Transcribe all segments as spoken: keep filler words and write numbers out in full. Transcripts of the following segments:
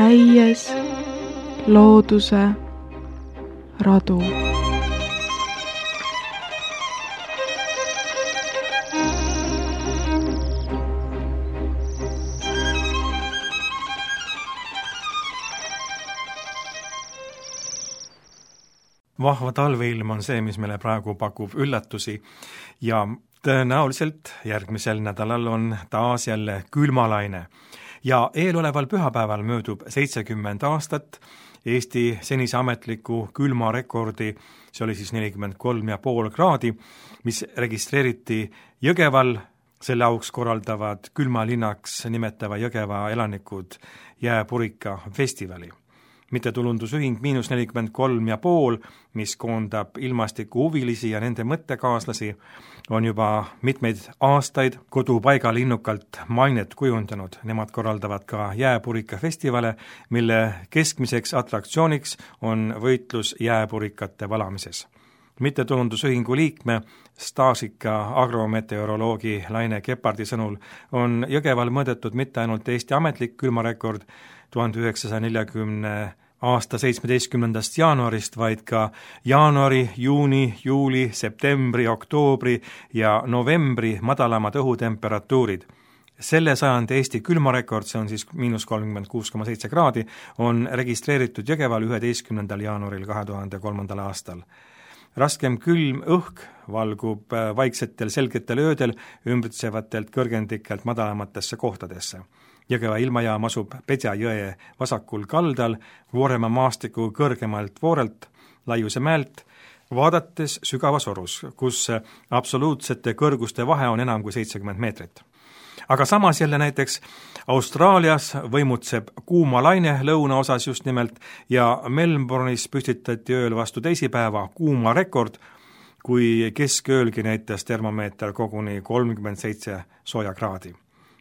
käies looduse radu. Vahva talveilm on see, mis meile praegu pakub üllatusi ja tõenäoliselt järgmisel nädalal on taas jälle külmalaine. Ja eeloleval pühapäeval möödub seitsekümmend aastat Eesti senise ametliku külmarekordi, see oli siis nelikümmend kolm ja pool kraadi, mis registreeriti Jõgeval, selle auks korraldavad külmalinnaks nimetava Jõgeva elanikud jääpurika festivali. Mittetulundusühing miinus nelikümmend kolm ja pool, mis koondab ilmastiku huvilisi ja nende mõttekaaslasi, on juba mitmeid aastaid kodupaigal innukalt mainet kujundanud. Nemad korraldavad ka jääpurika festivale, mille keskmiseks atraktsiooniks on võitlus jääpurikate valamises. Mittetulundusühingu liikme, staažika agrometeoroloogi Laine Kepardi sõnul on Jõgeval mõõdetud mitte ainult Eesti ametlik külmarekord tuhande üheksasaja neljakümne aasta seitsmeteistkümnendast jaanuarist, vaid ka jaanuari, juuni, juuli, septembri, oktoobri ja novembri madalamad õhutemperatuurid. Selle sajandi Eesti külmarekord, see on siis miinus kolmkümmend kuus koma seitse kraadi, on registreeritud Jõgeval üheteistkümnendal jaanuaril kahe tuhande kolmandal aastal. Raskem külm õhk valgub vaiksetel selgetel öödel ümbritsevatelt kõrgendikelt madalamatesse kohtadesse. Jõgeva ilmajaam asub Pedja jõe vasakul kaldal, Vooremaa maastiku kõrgemalt Voorelt, Laiuse mäelt, vaadates sügavas orus, kus absoluutsete kõrguste vahe on enam kui seitsekümmend meetrit. Aga samas jälle näiteks Austraalias võimutseb kuuma laine lõunaosas just nimelt ja Melbourne'is püstitati ööl vastu teisipäeva kuuma rekord, kui kesköölgi näitas termomeeter koguni kolmkümmend seitse sooja kraadi.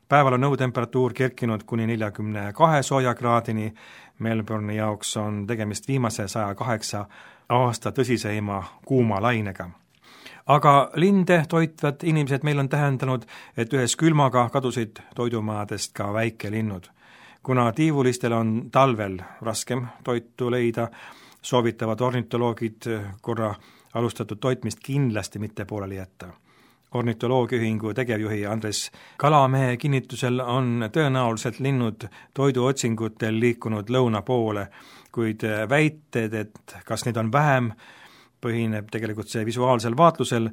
Päeval on õhutemperatuur kerkinud kuni neljakümne kahe sooja kraadini, Melbourne'i jaoks on tegemist viimase saja kaheksa aasta tõsiseima kuuma lainega. Aga linde toitvad inimesed meil on tähendanud, et ühes külmaga kadusid toidumajadest ka väikelinnud. Kuna tiivulistel on talvel raskem toitu leida, soovitavad ornitoloogid korra alustatud toitmist kindlasti mitte pooleli jätta. Ornitoloogiaühingu tegevjuhi Andres Kalamehe kinnitusel on tõenäoliselt linnud toiduotsingutel liikunud lõuna poole, kuid väited, et kas neid on vähem, põhineb tegelikult see visuaalsel vaatlusel,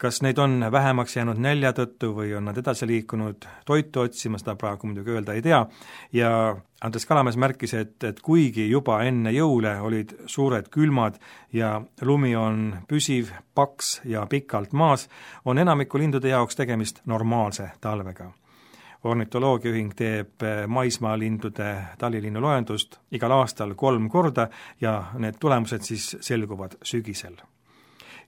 kas neid on vähemaks jäänud nälja tõttu või on nad edasi liikunud toitu otsima, seda praegu muidugi öelda ei tea, ja Andres Kalamees märkis, et, et kuigi juba enne jõule olid suured külmad ja lumi on püsiv, paks ja pikalt maas, on enamiku lindude jaoks tegemist normaalse talvega. Ornitoloogiaühing teeb maismaalindude talilinnu loendust igal aastal kolm korda ja need tulemused siis selguvad sügisel.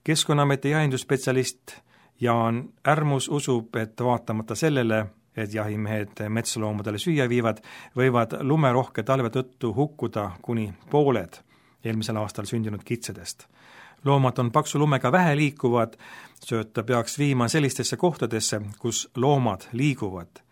Keskkonnaameti jahinduspetsialist Jaan Ärmus usub, et vaatamata sellele, et jahimehed metsloomadele süüa viivad, võivad lumerohke talve tõttu hukkuda kuni pooled eelmisel aastal sündinud kitsedest. Loomad on paksu lumega vähe liikuvad, sööta peaks viima sellistesse kohtadesse, kus loomad liiguvad.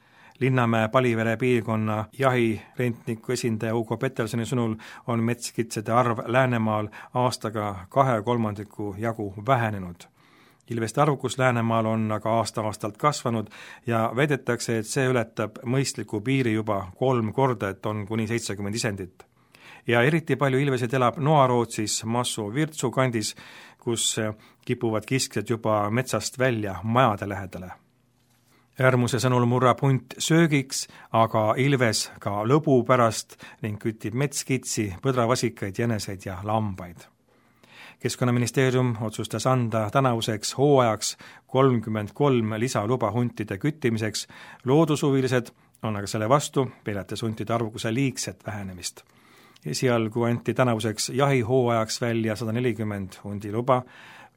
Linnamäe Palivere piirkonna jahirentniku esindaja Ugo Petelsoni sõnul on metskitsede arv Läänemaal aastaga kahe kolmandiku jagu vähenenud. Ilveste arvukus Läänemaal on aga aasta-aastalt kasvanud ja väidetakse, et see ületab mõistliku piiri juba kolm korda, et on kuni seitsekümmend isendit. Ja eriti palju ilveseid elab Noarootsis Massu-Virtsu kandis, kus kipuvad kiskjad juba metsast välja majade lähedale. Ärmuse sõnul murrab hunt söögiks, aga ilves ka lõbu pärast ning kütib metskitsi, põdravasikaid, jäneseid ja lambaid. Keskkonnaministeerium otsustas anda tänavuseks hooajaks kolmkümmend kolm lisaluba huntide küttimiseks. Loodushuvilised on aga selle vastu, peljates huntide arvukuse liigset vähenemist. Esialgu anti tänavuseks jahihooajaks välja sada nelikümmend hundiluba.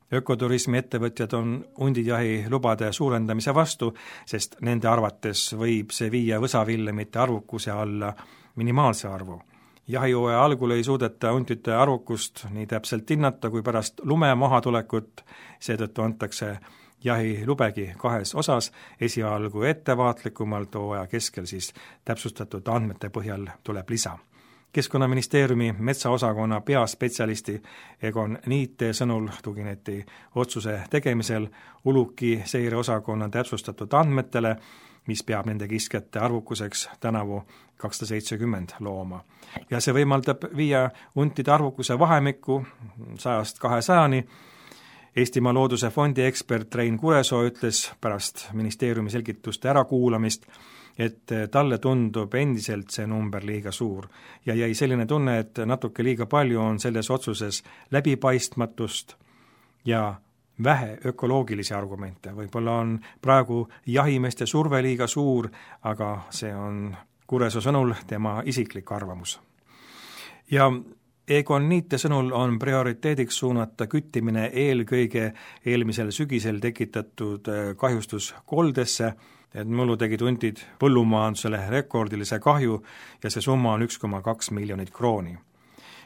Ökoturismi ettevõtjad on hundijahi lubade suurendamise vastu, sest nende arvates võib see viia võsavillemite arvukuse alla minimaalse arvu. Jahihooaja algul ei suudeta huntide arvukust nii täpselt hinnata kui pärast lume mahatulekut, seetõttu antakse jahilubegi kahes osas, esialgu ettevaatlikumalt, hooaja keskel siis täpsustatud andmete põhjal tuleb lisa. Keskkonnaministeeriumi metsaosakonna peaspetsialisti Egon Niite sõnul tugineti otsuse tegemisel Uluki seireosakonna täpsustatud andmetele, mis peab nende kiskjate arvukuseks tänavu kakssada seitsekümmend looma. Ja see võimaldab viia huntide arvukuse vahemikku sajast kahesajani. Eestimaa Looduse Fondi ekspert Rein Kuresoo ütles pärast ministeeriumi selgituste ärakuulamist, et talle tundub endiselt see number liiga suur ja jäi selline tunne, et natuke liiga palju on selles otsuses läbipaistmatust ja vähe ökoloogilisi argumente. Võib-olla on praegu jahimeeste surve liiga suur, aga see on Kuresoo sõnul tema isiklik arvamus. Ja Egon Niite sõnul on prioriteediks suunata küttimine eelkõige eelmisel sügisel tekitatud kahjustus koldesse, et mullu tegid huntid põllumajandusele rekordilise kahju ja see summa on üks koma kaks miljonit krooni.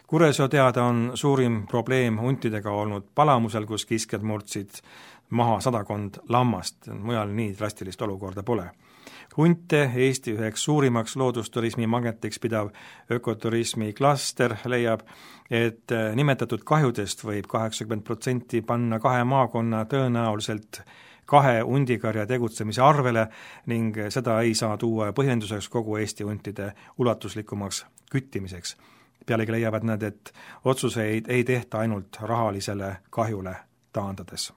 Kuresoo teada on suurim probleem huntidega olnud Palamusel, kus kiskjad murdsid maha sadakond lammast, mujal nii drastilist olukorda pole. Hunte Eesti üheks suurimaks loodusturismi magnetiks pidav ökoturismi klaster leiab, et nimetatud kahjudest võib kaheksakümmend protsenti panna kahe maakonna tõenäoliselt kahe hundikarja tegutsemise arvele ning seda ei saa tuua põhjenduseks kogu Eesti huntide ulatuslikumaks küttimiseks. Pealegi leiavad nad, et otsuseid ei tehta ainult rahalisele kahjule taandades.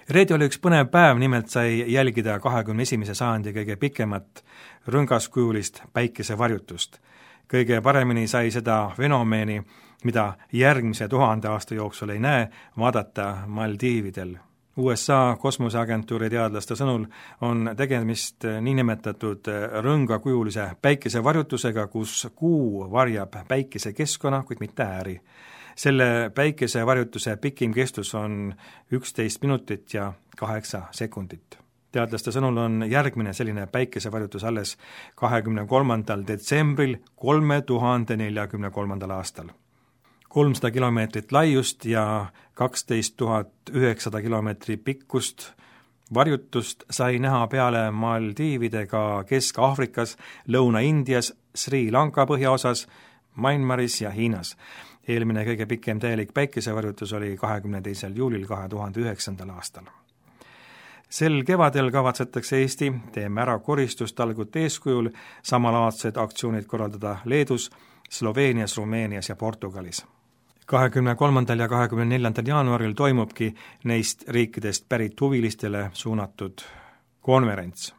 Reedi oli üks põnev päev, nimelt sai jälgida kahekümne esimese sajandi kõige pikemat rõngaskujulist päikesevarjutust. Kõige paremini sai seda fenomeeni, mida järgmise tuhande aasta jooksul ei näe, vaadata Maldiividel. U S A kosmoseagentuuri teadlaste sõnul on tegemist niinimetatud rõngakujulise päikesevarjutusega, kus kuu varjab päikesekeskkonna, kuid mitte ääri. Selle päikesevarjutuse pikim kestus on üksteist minutit ja kaheksa sekundit. Teadlaste sõnul on järgmine selline päikesevarjutus alles kahekümne kolmandal detsembril kolme tuhande neljakümne kolmandal aastal. kolmsada kilomeetrit laiust ja kaksteist tuhat üheksasada kilomeetri pikkust varjutust sai näha peale Maldiivide ka Kesk-Aafrikas, Lõuna-Indias, Sri Lanka põhjaosas, Myanmaris ja Hiinas. Eelmine kõige pikem täielik päikesevarjutus oli kahekümne teisel juulil kahe tuhande üheksandal aastal. Sel kevadel kavatsetakse Eesti Teeme ära koristustalgute eeskujul samalaadsed aktsioonid korraldada Leedus, Sloveenias, Rumeenias ja Portugalis. kahekümne kolmandal ja kahekümne neljandal jaanuaril toimubki neist riikidest pärit huvilistele suunatud konverents,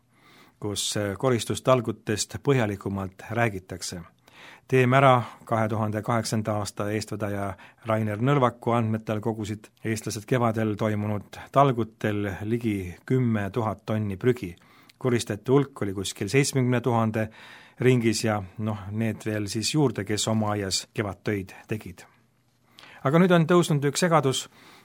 kus koristustalgutest põhjalikumalt räägitakse. Teeme ära kahe tuhande kaheksanda aasta eestvedaja Rainer Nõlvaku andmetel kogusid eestlased kevadel toimunud talgutel ligi kümme tuhat tonni prügi. Koristajate hulk oli kuskil seitsmekümne tuhande ringis ja noh, need veel siis juurde, kes oma aias kevadtöid tegid. Aga nüüd on tõusnud üks segadus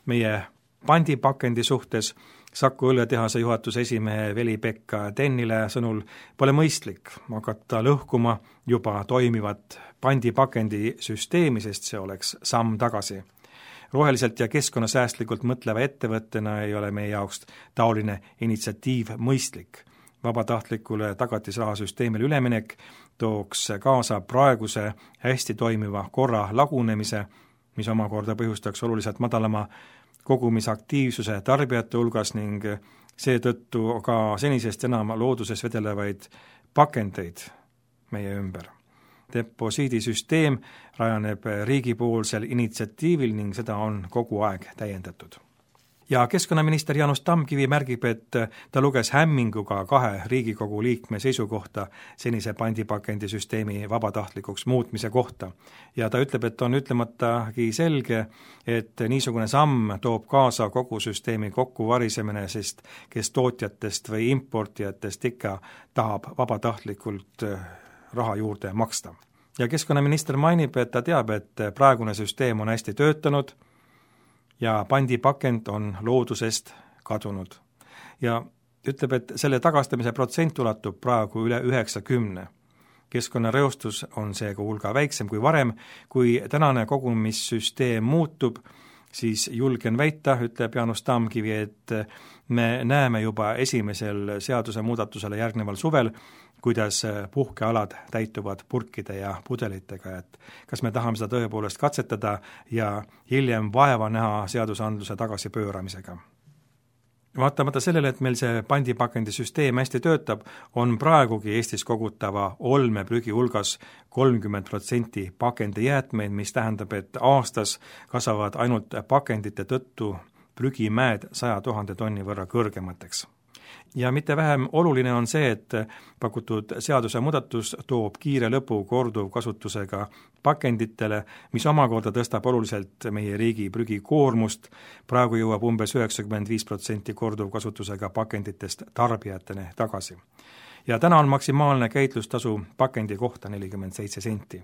meie pandipakendi suhtes. Saku õlletehase juhatuse esimehe Veli-Pekka Tennile sõnul pole mõistlik hakata lõhkuma juba toimivat pandipakendi süsteemi, sest see oleks samm tagasi. Roheliselt ja keskkonnasäästlikult mõtleva ettevõttena ei ole meie jaoks taoline initsiatiiv mõistlik. Vabatahtlikule tagatisrahasüsteemile üleminek tooks kaasa praeguse hästi toimiva korra lagunemise, mis omakorda põhjustaks oluliselt madalama kogumisaktiivsuse tarbijate hulgas ning seetõttu ka senisest enam looduses vedelevaid pakendeid meie ümber. Deposiidisüsteem rajaneb riigipoolsel initsiatiivil ning seda on kogu aeg täiendatud. Ja keskkonnaminister Jaanus Tamkivi märgib, et ta luges hämminguga kahe Riigikogu liikme seisukohta senise pandipakendisüsteemi vabatahtlikuks muutmise kohta. Ja ta ütleb, et on ütlematagi selge, et niisugune samm toob kaasa kogu süsteemi kokkuvarisemine, sest kes tootjatest või importijatest ikka tahab vabatahtlikult raha juurde maksta. Ja keskkonnaminister mainib, et ta teab, et praegune süsteem on hästi töötanud, ja pandipakend on loodusest kadunud. Ja ütleb, et selle tagastamise protsent ulatub praegu üle üheksakümne. Keskkonnareostus on seega hulga väiksem kui varem, kui tänane kogumissüsteem muutub, siis julgen väita, ütleb Jaanus Tamkivi, et me näeme juba esimesel seaduse muudatusele järgneval suvel, kuidas puhkealad täituvad purkide ja pudelitega, et kas me tahame seda tõepoolest katsetada ja hiljem vaeva näha seadusandluse tagasipööramisega. Vaatamata sellele, et meil see pandipakendisüsteem hästi töötab, on praegugi Eestis kogutava olmeprügi hulgas kolmkümmend protsenti pakendijäätmeid, mis tähendab, et aastas kasvavad ainult pakendite tõttu prügimäed saja tuhande tonni võrra kõrgemateks. Ja mitte vähem oluline on see, et pakutud seaduse muudatus toob kiire lõpu korduvkasutusega pakenditele, mis omakorda tõstab oluliselt meie riigi prügikoormust. Praegu jõuab umbes üheksakümmend viis protsenti korduvkasutusega pakenditest tarbijatene tagasi. Ja täna on maksimaalne käitlustasu pakendi kohta nelikümmend seitse senti.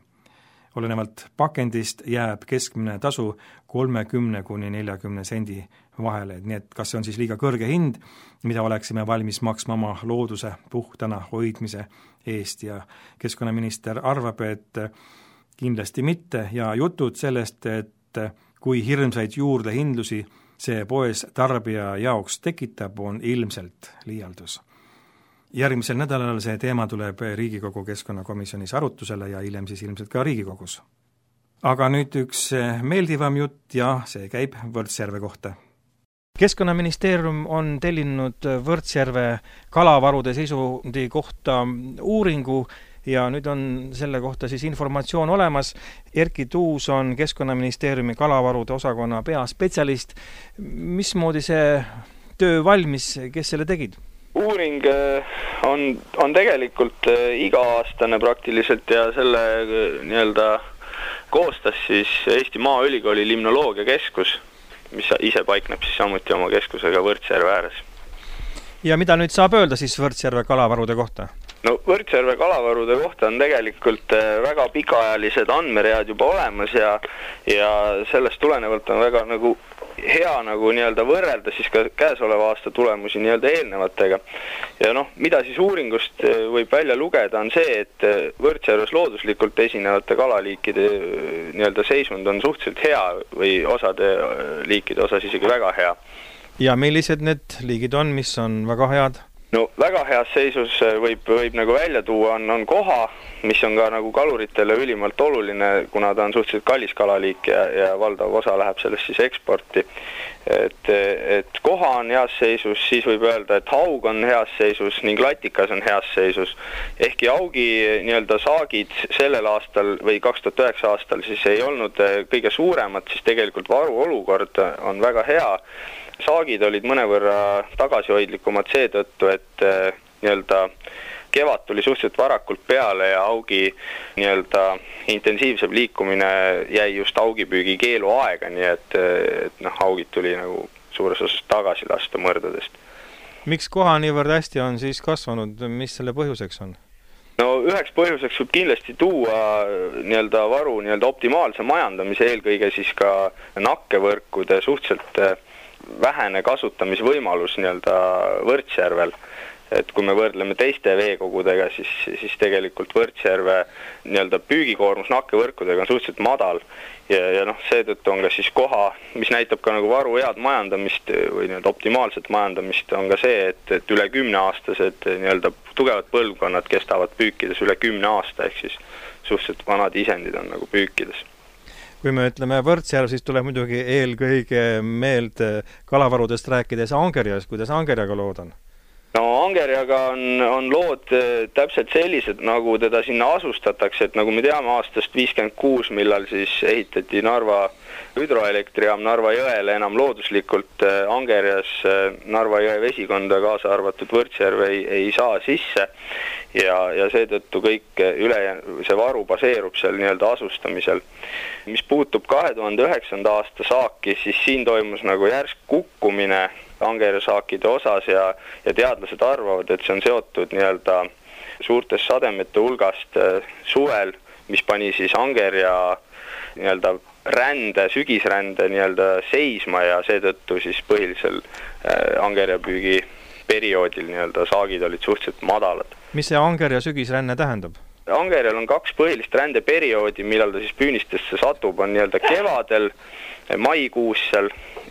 Olenevalt pakendist jääb keskmine tasu kolmekümne kuni neljakümne sendi vahele, nii et kas see on siis liiga kõrge hind, mida oleksime valmis maksma oma looduse puhtana hoidmise eest ja keskkonnaminister arvab, et kindlasti mitte ja jutud sellest, et kui hirmsaid juurdehindlusi see poes tarbija jaoks tekitab, on ilmselt liialdus. Järgmisel nädalal see teema tuleb Riigikogu keskkonnakomisjonis arutusele ja hiljem siis ilmselt ka Riigikogus. Aga nüüd üks meeldivam jutt ja see käib Võrtsjärve kohta. Keskkonnaministeerium on tellinud Võrtsjärve kalavarude seisundi kohta uuringu ja nüüd on selle kohta siis informatsioon olemas. Erki Tuus on Keskkonnaministeeriumi kalavarude osakonna peaspetsialist. Mismoodi see töö valmis, kes selle tegid? Uuring on, on tegelikult iga-aastane praktiliselt ja selle nii-öelda koostas siis Eesti Maaülikooli limnoloogiakeskus, mis ise paikneb siis samuti oma keskusega Võrtsjärve ääres. Ja mida nüüd saab öelda siis Võrtsjärve kalavarude kohta? No Võrtsjärve kalavarude kohta on tegelikult väga pikaajalised andmeread juba olemas ja, ja sellest tulenevalt on väga nagu hea nagu nii-öelda võrrelda siis ka käesoleva aasta tulemusi nii-öelda eelnevatega. Ja noh, mida siis uuringust võib välja lugeda on see, et Võrtsjärves looduslikult esinevate kalaliikide nii-öelda seisund on suhteliselt hea või osade liikide osas isegi väga hea. Ja millised need liigid on, mis on väga head? No väga heas seisus võib, võib nagu välja tuua on, on koha, mis on ka nagu kaluritele ülimalt oluline, kuna ta on suhteliselt kallis kalaliik ja, ja valdav osa läheb sellest siis eksporti. Et, et koha on heas seisus, siis võib öelda, et haug on heas seisus ning latikas on heas seisus. Ehkki haugi nii-öelda saagid sellel aastal või kaks tuhat üheksa aastal siis ei olnud kõige suuremad, siis tegelikult varu olukord on väga hea. Saagid olid mõnevõrra tagasihoidlikumad seetõttu, et nii-öelda kevad tuli suhteliselt varakult peale ja haugi nii-öelda intensiivsem liikumine jäi just haugipüügi keelu aega, nii et, et noh, haugid tuli nagu suures osas tagasi lasta mõrdadest. Miks koha niivõrd hästi on siis kasvanud, mis selle põhjuseks on? No üheks põhjuseks võib kindlasti tuua nii-öelda varu nii-öelda optimaalse majandamise, eelkõige siis ka nakkevõrkude suhteliselt vähene kasutamisvõimalus nii-öelda Võrtsjärvel. Et kui me võrdleme teiste veekogudega, siis, siis tegelikult Võrtsjärve nii-öelda püügikoormus nakkevõrkudega on suhteliselt madal. Ja, ja noh, seetõttu on ka siis koha, mis näitab ka nagu varu head majandamist või nii-öelda optimaalset majandamist, on ka see, et, et üle kümne aastased nii-öelda tugevad põlvkonnad kestavad püükides üle kümne aasta, ehk siis suhteliselt vanad isendid on nagu püükides. Kui me ütleme Võrtsjärv, siis tuleb muidugi eelkõige meelde kalavarudest rääkides Angerjas, kuidas Angerjaga lood on? No Angerjaga on, on lood täpselt sellised, nagu teda sinna asustatakse, et nagu me teame aastast viiskümmend kuus, millal siis ehitati Narva hüdroelektrijaam Narva jõele enam looduslikult Angerjas Narva jõe vesikonda kaasa arvatud Võrtsjärve ei, ei saa sisse ja, ja seetõttu kõik üle see varu baseerub seal nii-öelda asustamisel. Mis puutub kahe tuhande üheksanda aasta saaki, siis siin toimus nagu järsk kukkumine Angerja saakide osas ja, ja teadlased arvavad, et see on seotud nii-öelda suurtest sademete hulgast suvel, mis pani siis Angerja nii-öelda rände, sügisrände nii-öelda seisma ja seetõttu siis põhilisel Angerjapüügi perioodil nii-öelda saagid olid suhteliselt madalad. Mis see Angerja sügisränne tähendab? Angerjal on kaks põhilist rändeperioodi, millal ta siis püünistesse satub, on nii-öelda kevadel, maikuus seal,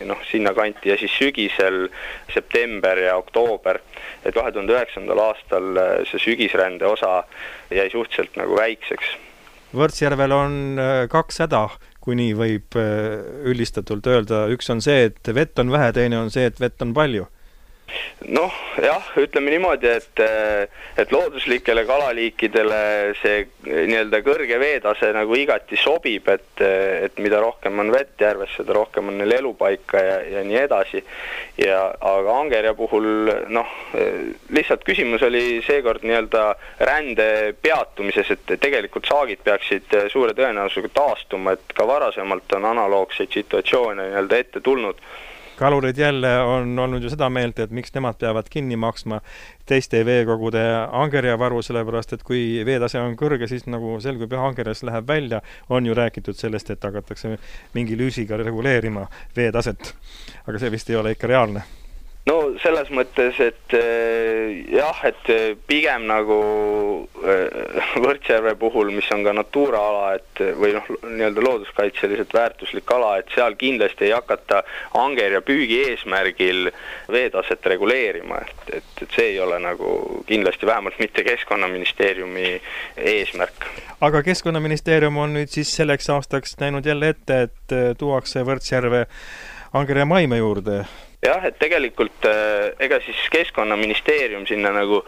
noh, sinna kanti ja siis sügisel september ja oktoober. Et kahe tuhande üheksandal aastal see sügisrände osa jäi suhteliselt nagu väikseks. Võrtsjärvel on kaks häda, kui nii võib üldistatult öelda. Üks on see, et vett on vähe, teine on see, et vett on palju. Noh, jah, ütleme niimoodi, et, et looduslikele kalaliikidele see nii-öelda kõrge veetase nagu igati sobib, et, et mida rohkem on vett järves, seda rohkem on neil elupaika ja, ja nii edasi. Ja, aga Angerja puhul, noh, lihtsalt küsimus oli seekord nii-öelda rände peatumises, et tegelikult saagid peaksid suure tõenäosusega taastuma, et ka varasemalt on analoogseid situatsioone nii-öelda ette tulnud. Kalurid jälle on olnud ju seda meelt, et miks nemad peavad kinni maksma teiste veekogude Angerja varu, sellepärast, et kui veetase on kõrge, siis nagu selgub ja Angerjas läheb välja, on ju räägitud sellest, et hakatakse mingi lüüsiga reguleerima veetaset. Aga see vist ei ole ikka reaalne. No selles mõttes, et jah, et pigem nagu Võrtsjärve puhul, mis on ka Natura-ala, et või noh, nii-öelda looduskaitseliselt väärtuslik ala, et seal kindlasti ei hakata Angerja püügi eesmärgil veetaset reguleerima, et, et, et see ei ole nagu kindlasti vähemalt mitte Keskkonnaministeeriumi eesmärk. Aga Keskkonnaministeerium on nüüd siis selleks aastaks näinud jälle ette, et tuuakse Võrtsjärve Angerja maime juurde. Jah, et tegelikult ega siis Keskkonnaministeerium sinna nagu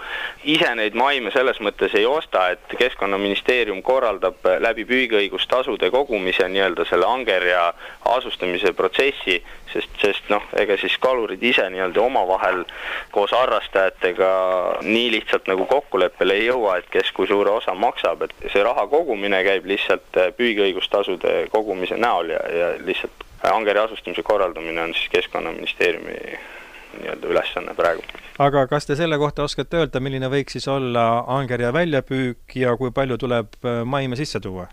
ise neid maime selles mõttes ei osta, et Keskkonnaministeerium korraldab läbi püügiõigustasude kogumise nii-öelda selle Angerja asustamise protsessi, sest, sest noh, ega siis kalurid ise nii-öelda omavahel koos harrastajatega nii lihtsalt nagu kokkuleppele ei jõua, et kes kui suure osa maksab, et see raha kogumine käib lihtsalt püügiõigustasude kogumise näol ja, ja lihtsalt Angerja asustamise korraldamine on siis Keskkonnaministeeriumi nii-öelda ülesanne praegu. Aga kas te selle kohta oskate öelda, milline võiks siis olla Angerja väljapüük ja kui palju tuleb maime sisse tuua?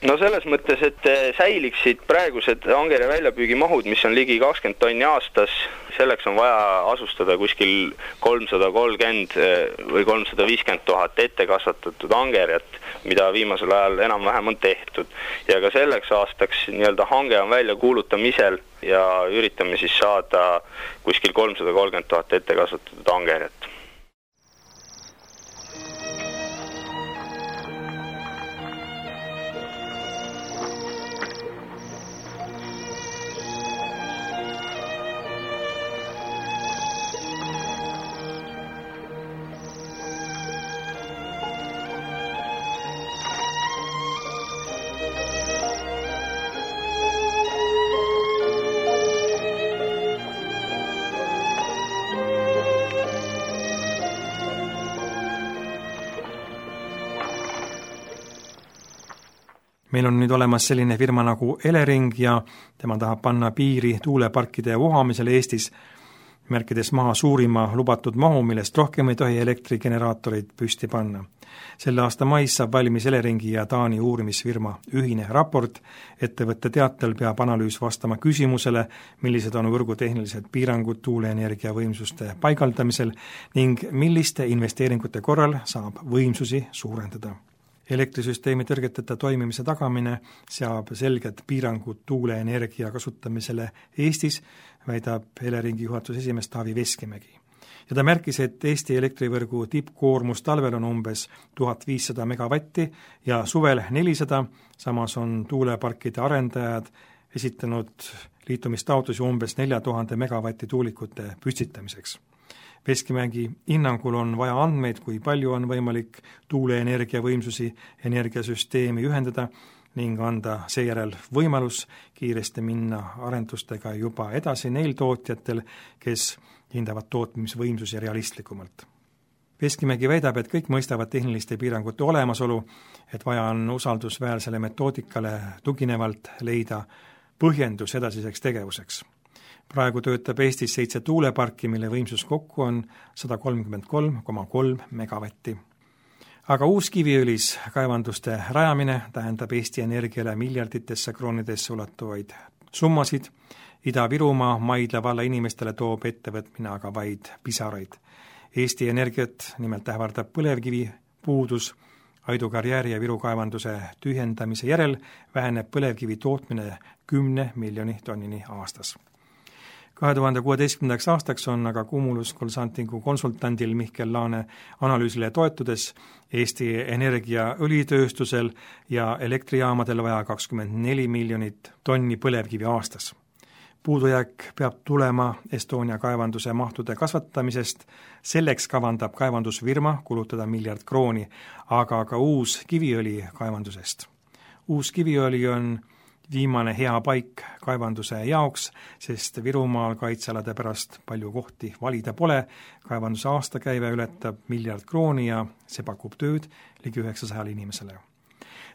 No selles mõttes, et säiliksid praegused Angerja väljapüügi mahud, mis on ligi kakskümmend tonni aastas, selleks on vaja asustada kuskil kolmsada kolmkümmend või kolmsada viiskümmend tuhat ette kasvatatud Angerjat, mida viimasel ajal enam-vähem on tehtud. Ja ka selleks aastaks nii-öelda hange on välja kuulutamisel ja üritame siis saada kuskil kolmsada kolmkümmend tuhat ette kasvatatud Angerjat. Meil on nüüd olemas selline firma nagu Elering ja tema tahab panna piiri tuuleparkide vohamisele Eestis, märkides maha suurima lubatud mahu, millest rohkem ei tohi elektrigeneraatoreid püsti panna. Selle aasta mais saab valmis Eleringi ja Taani uurimisfirma ühine raport. Ettevõtte teatel peab analüüs vastama küsimusele, millised on võrgutehnilised piirangud tuuleenergia võimsuste paigaldamisel ning milliste investeeringute korral saab võimsusi suurendada. Elektrisüsteemi tõrgeteta toimimise tagamine seab selged piirangud tuuleenergia kasutamisele Eestis, väidab Eleringi juhatuse esimees Taavi Veskimägi. Ja ta märkis, et Eesti elektrivõrgu tippkoormus talvel on umbes tuhat viissada megavatti ja suvel nelisada, samas on tuuleparkide arendajad esitanud liitumistaotlusi umbes nelja tuhande megavatti tuulikute püstitamiseks. Veskimägi hinnangul on vaja andmeid, kui palju on võimalik tuuleenergia võimsusi energiasüsteemi ühendada ning anda seejärel võimalus kiiresti minna arendustega juba edasi neil tootjatel, kes hindavad tootmisvõimsusi realistlikumalt. Veskimägi väidab, et kõik mõistavad tehniliste piirangute olemasolu, et vaja on usaldusväärsele metoodikale tuginevalt leida põhjendus edasiseks tegevuseks. Praegu töötab Eestis seitse tuuleparki, mille võimsus kokku on sada kolmkümmend kolm koma kolm megavatti. Aga uus Kiviõlis kaevanduste rajamine tähendab Eesti Energiale miljarditesse kroonidesse ulatuvaid summasid. Ida-Virumaa Maidla valla inimestele toob ettevõtmine aga vaid pisaraid. Eesti Energiat nimelt ähvardab põlevkivi puudus, Aidu karjääri ja Viru kaevanduse tühjendamise järel väheneb põlevkivi tootmine kümne miljoni tonnini aastas. kahe tuhande kuueteistkümnendaks aastaks on aga Cumulus Consultingu konsultandil Mihkel Laane analüüsile toetudes Eesti Energia õlitööstusel ja elektrijaamadel vaja kakskümmend neli miljonit tonni põlevkivi aastas. Puudujääk peab tulema Estonia kaevanduse mahtude kasvatamisest, selleks kavandab kaevandusfirma kulutada miljard krooni, aga ka uus kiviõli kaevandusest. Uus kiviõli on viimane hea paik kaevanduse jaoks, sest Virumaal kaitsealade pärast palju kohti valida pole, kaevanduse aastakäive ületab miljard krooni ja see pakub tööd ligi üheksasajale inimesele.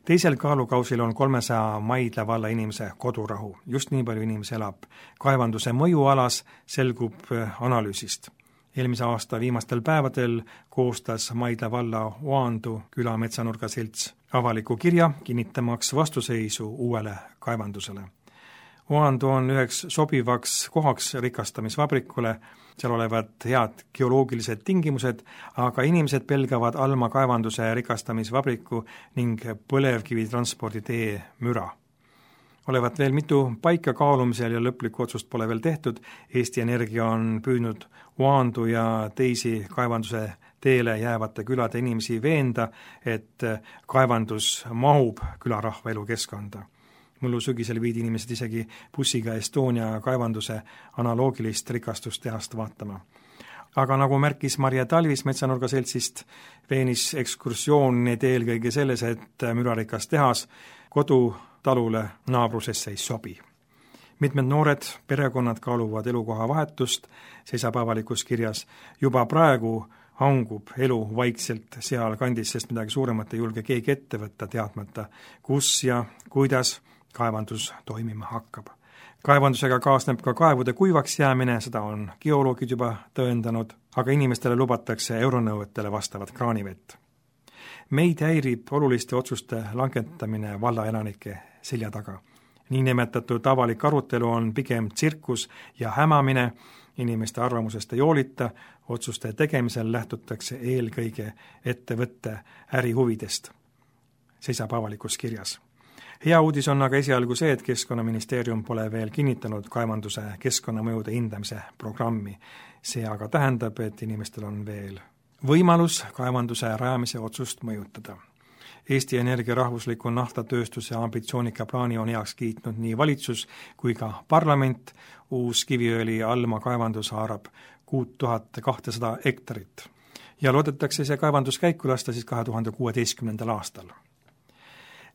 Teisel kaalukausil on kolmesaja Maidla valla inimese kodurahu. Just nii palju inimesi elab. Kaevanduse mõjualas selgub analüüsist. Eelmise aasta viimastel päevadel koostas Maidla valla Oandu küla metsanurga selts avaliku kirja, kinnitamaks vastuseisu uuele kaevandusele. Oandu on üheks sobivaks kohaks rikastamisvabrikule, seal olevad head geoloogilised tingimused, aga inimesed pelgavad Alma kaevanduse rikastamisvabriku ning põlevkivi transporditee müra. Olevat veel mitu paika kaalumisel ja lõplikku otsust pole veel tehtud. Eesti Energia on püüdnud Oandu ja teisi kaevanduse teele jäävate külade inimesi veenda, et kaevandus mahub külarahva elukeskkonda. Mullu sügisel viidi inimesed isegi bussiga Estonia kaevanduse analoogilist rikastustehast vaatama. Aga nagu märkis Marje Talvis metsanurga seltsist, veenis ekskursioon need eelkõige selles, et mürarikas tehas kodutalule naabrusesse ei sobi. Mitmed noored perekonnad kaaluvad elukoha vahetust, seisab avalikus kirjas. Juba praegu hangub elu vaikselt seal kandis, sest midagi suuremat ei julge keegi ette võtta, teadmata, kus ja kuidas kaevandus toimima hakkab. Kaevandusega kaasneb ka kaevude kuivaks jäämine, seda on geoloogid juba tõendanud, aga inimestele lubatakse euronõuetele vastavat kraanivett. Meid häirib oluliste otsuste langetamine valla elanike selja taga. Niinimetatud avalik arutelu on pigem tsirkus ja hämamine, inimeste arvamusest ei hoolita, otsuste tegemisel lähtutakse eelkõige ettevõtte ärihuvidest, seisab avalikus kirjas. Hea uudis on aga esialgu see, et Keskkonnaministeerium pole veel kinnitanud kaevanduse keskkonnamõjude hindamise programmi. See aga tähendab, et inimestel on veel võimalus kaevanduse rajamise otsust mõjutada. Eesti Energia rahvusliku naftatööstuse ambitsioonika plaani on heaks kiitnud nii valitsus kui ka parlament. Uus kiviõli Alma kaevandus haarab kuus tuhat kakssada hektarit ja loodetakse see kaevandus käiku lasta siis kahe tuhande kuueteistkümnendal aastal.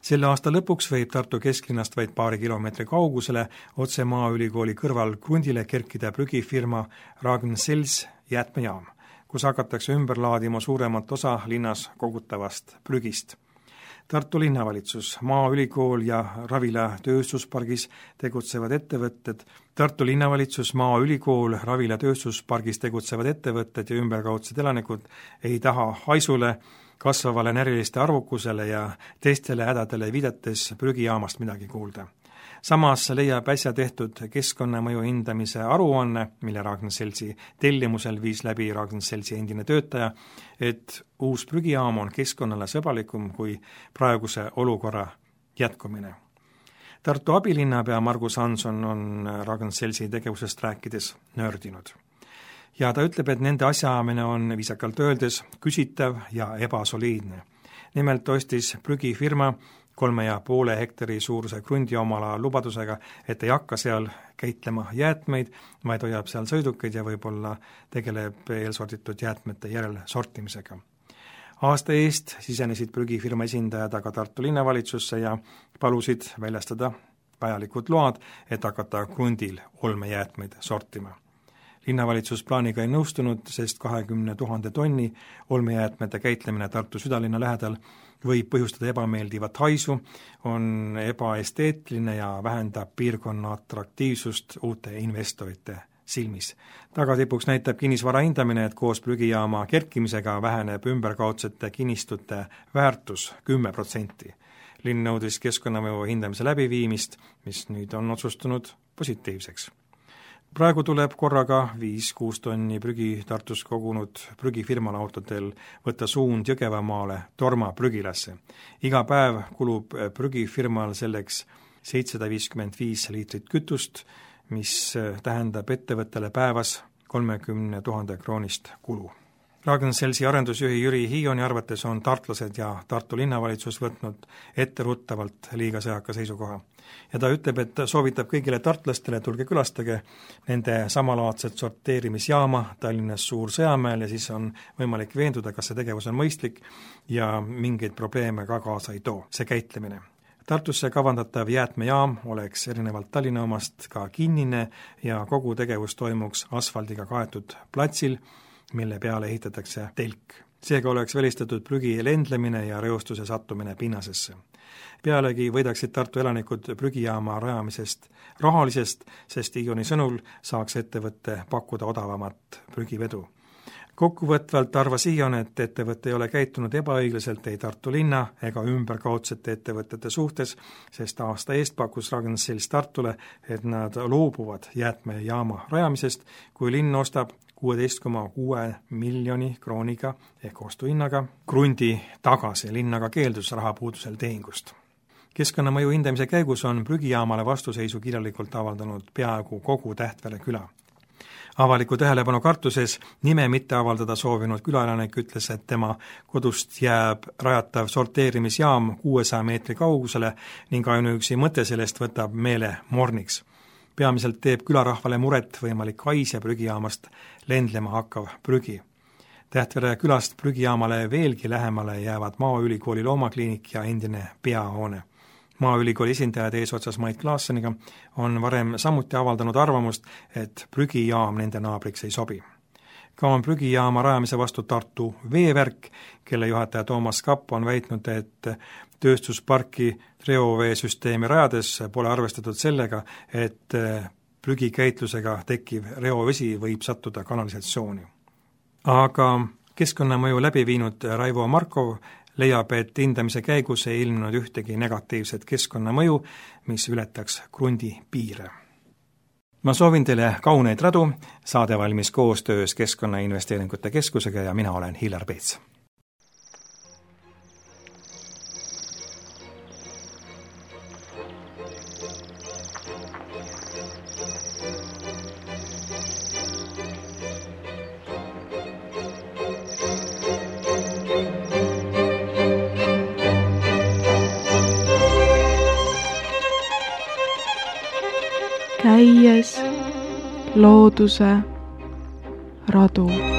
Selle aasta lõpuks võib Tartu kesklinnast vaid paari kilomeetri kaugusele otse Maaülikooli kõrval krundile kerkida prügifirma Ragn-Sells jäätmejaam, kus hakatakse ümber laadima suuremat osa linnas kogutavast prügist. Tartu linnavalitsus, Maaülikool ja Ravila tööstuspargis tegutsevad ettevõtted, Tartu linnavalitsus, Maaülikool, Ravila tööstuspargis tegutsevad ettevõtted ja ümberkaudsed elanikud ei taha haisule, kasvavale näriliste arvukusele ja teistele hädadele viidates prügijaamast midagi kuulda. Samas leiab äsja tehtud keskkonnamõju hindamise aruanne, mille Ragn-Sellsi tellimusel viis läbi Ragn-Sellsi endine töötaja, et uus prügijaam on keskkonnale sõbralikum kui praeguse olukorra jätkumine. Tartu abilinnapea Margus Hanson on Ragn-Sellsi tegevusest rääkides nördinud. Ja ta ütleb, et nende asjaamine on viisakalt öeldes küsitav ja ebasoliidne. Nimelt ostis prügifirma kolme ja poole hektari suuruse krundi omala lubadusega, et ei hakka seal käitlema jäätmeid, vaid hoiab seal sõidukeid ja võib-olla tegeleb eelsorditud jäätmete järel sortimisega. Aasta eest sisenesid prügifirma esindajad aga Tartu linnavalitsusse ja palusid väljastada vajalikud load, et hakata krundil olmejäätmeid sortima. Linnavalitsus plaaniga ei nõustunud, sest kahekümne tuhande tonni olmejäätmete käitlemine Tartu südalinna lähedal võib põhjustada ebameeldivat haisu, on ebaesteetline ja vähendab piirkonna atraktiivsust uute investorite silmis. Tagatipuks näitab kinnisvara hindamine, et koos prügijaama kerkimisega väheneb ümberkaudsete kinnistute väärtus kümme protsenti. Linn nõudis keskkonnamõju hindamise läbiviimist, mis nüüd on otsustunud positiivseks. praegu tuleb korraga viis-kuus tonni prügi Tartus kogunud prügifirmale autodel võtta suund Jõgevamaale Torma prügilasse. Iga päev kulub prügifirmal selleks seitsesada viiskümmend viis liitrit kütust, mis tähendab ettevõttele päevas kolmekümne tuhande kroonist kulu. Ragn-Sellsi arendusjuhi Jüri Hiioni arvates on tartlased ja Tartu linnavalitsus võtnud etteruttavalt liiga sõjaka seisukoha. Ja ta ütleb, et soovitab kõigile tartlastele, tulge külastage nende samalaadset sorteerimisjaama Tallinnas Suur-Sõjamäel ja siis on võimalik veenduda, kas see tegevus on mõistlik ja mingeid probleeme ka kaasa ei too, see käitlemine. Tartusse kavandatav jäätmejaam oleks erinevalt Tallinna omast ka kinnine ja kogu tegevus toimuks asfaldiga kaetud platsil, mille peale ehitatakse telk. Seega oleks välistatud prügi lendlemine ja reostuse sattumine pinnasesse. Pealegi võidaksid Tartu elanikud prügijaama rajamisest rahalisest, sest Hiioni sõnul saaks ettevõtte pakkuda odavamat prügivedu. Kokkuvõtvalt arvas Hiion, et ettevõte ei ole käitunud ebaõiglaselt ei Tartu linna ega ümberkaudsete ettevõtete suhtes, sest aasta eest pakkus Ragn-Sells Tartule, et nad loobuvad jäätmejaama rajamisest, kui linn ostab kuusteist koma kuus miljoni krooniga ehk ostuhinnaga krundi tagasi, linn aga keeldus rahapuudusel tehingust. Keskkonnamõju hindamise käigus on prügijaamale vastuseisu kirjalikult avaldanud peaaegu kogu Tähtvere küla. Avaliku tähelepanu kartuses nime mitte avaldada soovinud külaelanik ütles, et tema kodust jääb rajatav sorteerimisjaam kuuesaja meetri kaugusele ning ainuüksi mõte sellest võtab meele morniks. Peamiselt teeb külarahvale muret võimalik hais ja prügijaamast lendlema hakkav prügi. Tähtvere külast prügijaamale veelgi lähemale jäävad Maaülikooli loomakliinik ja endine peahoone. Maaülikooli esindajad eesotsas Mait Klaasseniga on varem samuti avaldanud arvamust, et prügijaam nende naabriks ei sobi. Ka on prügijaama rajamise vastu Tartu Veevärk, kelle juhataja Toomas Kapp on väitnud, et tööstusparki reoveesüsteemi rajades pole arvestatud sellega, et prügikäitlusega tekkiv reovesi võib sattuda kanalisatsiooni. Aga keskkonnamõju läbi viinud Raivo Markov leiab, et hindamise käigus ei ilmnud ühtegi negatiivset keskkonnamõju, mis ületaks krundi piire. Ma soovin teile kauneid radu, saade valmis koostöös Keskkonnainvesteeringute Keskusega ja mina olen Hillar Peets. Käies looduse radu.